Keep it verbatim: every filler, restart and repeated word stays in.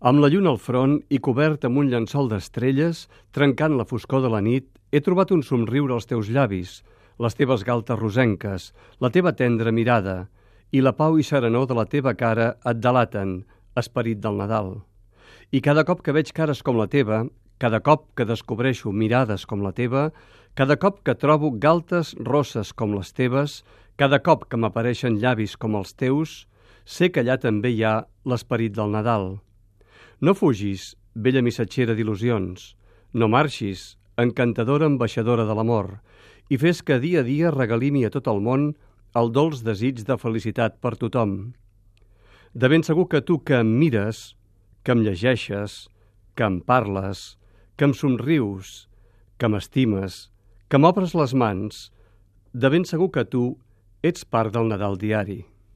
Amb la lluna al front i cobert amb un llençol d'estrelles, trencant la foscor de la nit, he trobat un somriure als teus llavis, les teves galtes rosenques, la teva tendra mirada, i la pau i serenor de la teva cara et delaten, esperit del Nadal. I cada cop que veig cares com la teva, cada cop que descobreixo mirades com la teva, cada cop que trobo galtes rosses com les teves, cada cop que m'apareixen llavis com els teus, sé que allà també hi ha l'esperit del Nadal. No fugis, vella missatgera d'il·lusions, no marxis, encantadora ambaixadora de l'amor, i fes que dia a dia regalimi a tot el món el dolç desig de felicitat per tothom. De ben segur que tu que em mires, que em llegeixes, que em parles, que em somrius, que m'estimes, que m'obres les mans, de ben segur que tu ets part del Nadal diari.